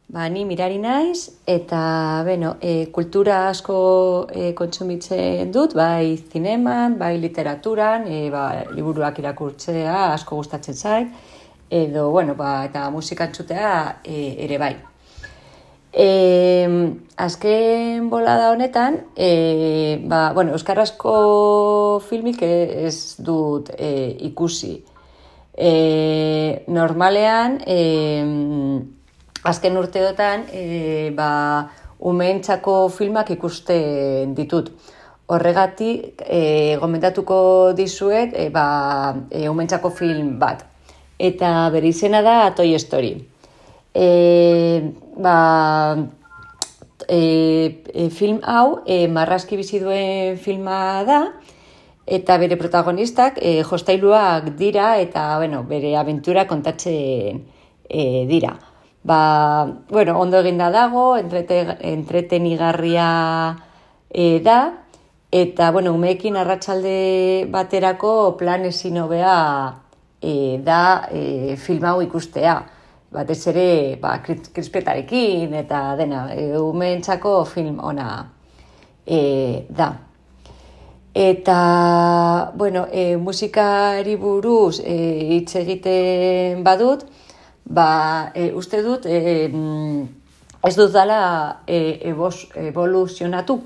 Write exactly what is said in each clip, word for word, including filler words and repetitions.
Ba, ni mirari naiz, eta, bueno, e, kultura asko e, kontsumitzen dut, bai zineman, bai literaturan, e, ba, liburuak irakurtzea asko gustatzen zait, edo, bueno, ba, eta musika entzutea e, ere bai. E, azken bolada honetan, e, ba, bueno, euskarazko filmik ez dut e, ikusi. E, normalean, e, azken urteotan, e, ba, umeentzako filmak ikusten ditut. Horregatik, e, gomendatuko dizuet, e, ba, e, umeentzako film bat. Eta bere izena da Toy Story. E, ba, e, e, film hau, e, marrazki bizi duen filma da, eta bere protagonistak e, jostailuak dira, eta bueno, bere abentura kontatzen e, dira. Ba, bueno, ondo eginda dago, entrete, entretenigarria e, da, eta, bueno, umeekin arratsalde baterako plan ezin hobea e, da e, film hau ikustea. Batez ere, ba, krispetarekin eta dena, e, umeentzako film ona e, da. Eta, bueno, e, musikari buruz e, hitz egiten badut, ba, e, uste dut, e, ez dut dala e, evoluzionatu.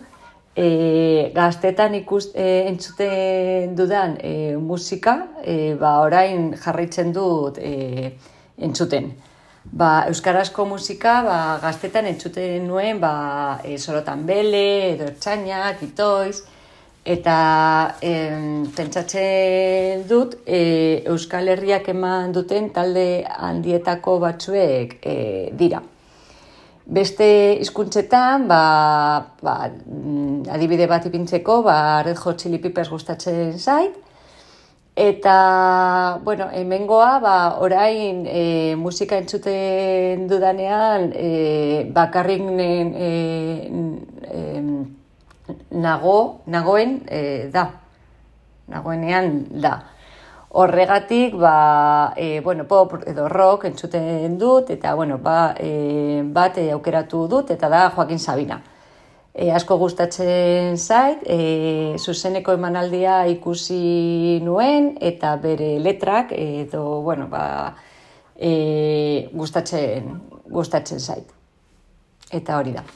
E, gaztetan ikust, e, entzuten dudan e, musika, e, ba, orain jarraitzen dut e, entzuten. Ba, euskarazko musika, ba, gaztetan entzuten nuen, ba, e, Sorotan Bele, edo Ertzainak, Itoiz, eta em, pentsatzen dut e, Euskal Herriak eman duten talde handietako batzuek e, dira. Beste hizkuntzetan, ba, ba, adibide bat ipintzeko, ba, Red Hot Chili Peppers gustatzen zait, eta, bueno, hemengoa, ba, orain e, musika entzuten dudanean, e, bakarrik e, e, nago, nagoen e, da, nagoenean da. Horregatik, ba, e, bueno, pop edo rock entzuten dut, eta, bueno, ba, e, bat e, aukeratu dut, eta da Joaquin Sabina. E, asko gustatzen zait, e, zuzeneko emanaldia ikusi nuen, eta bere letrak, edo, bueno, ba, e, gustatzen, gustatzen zait. Eta hori da.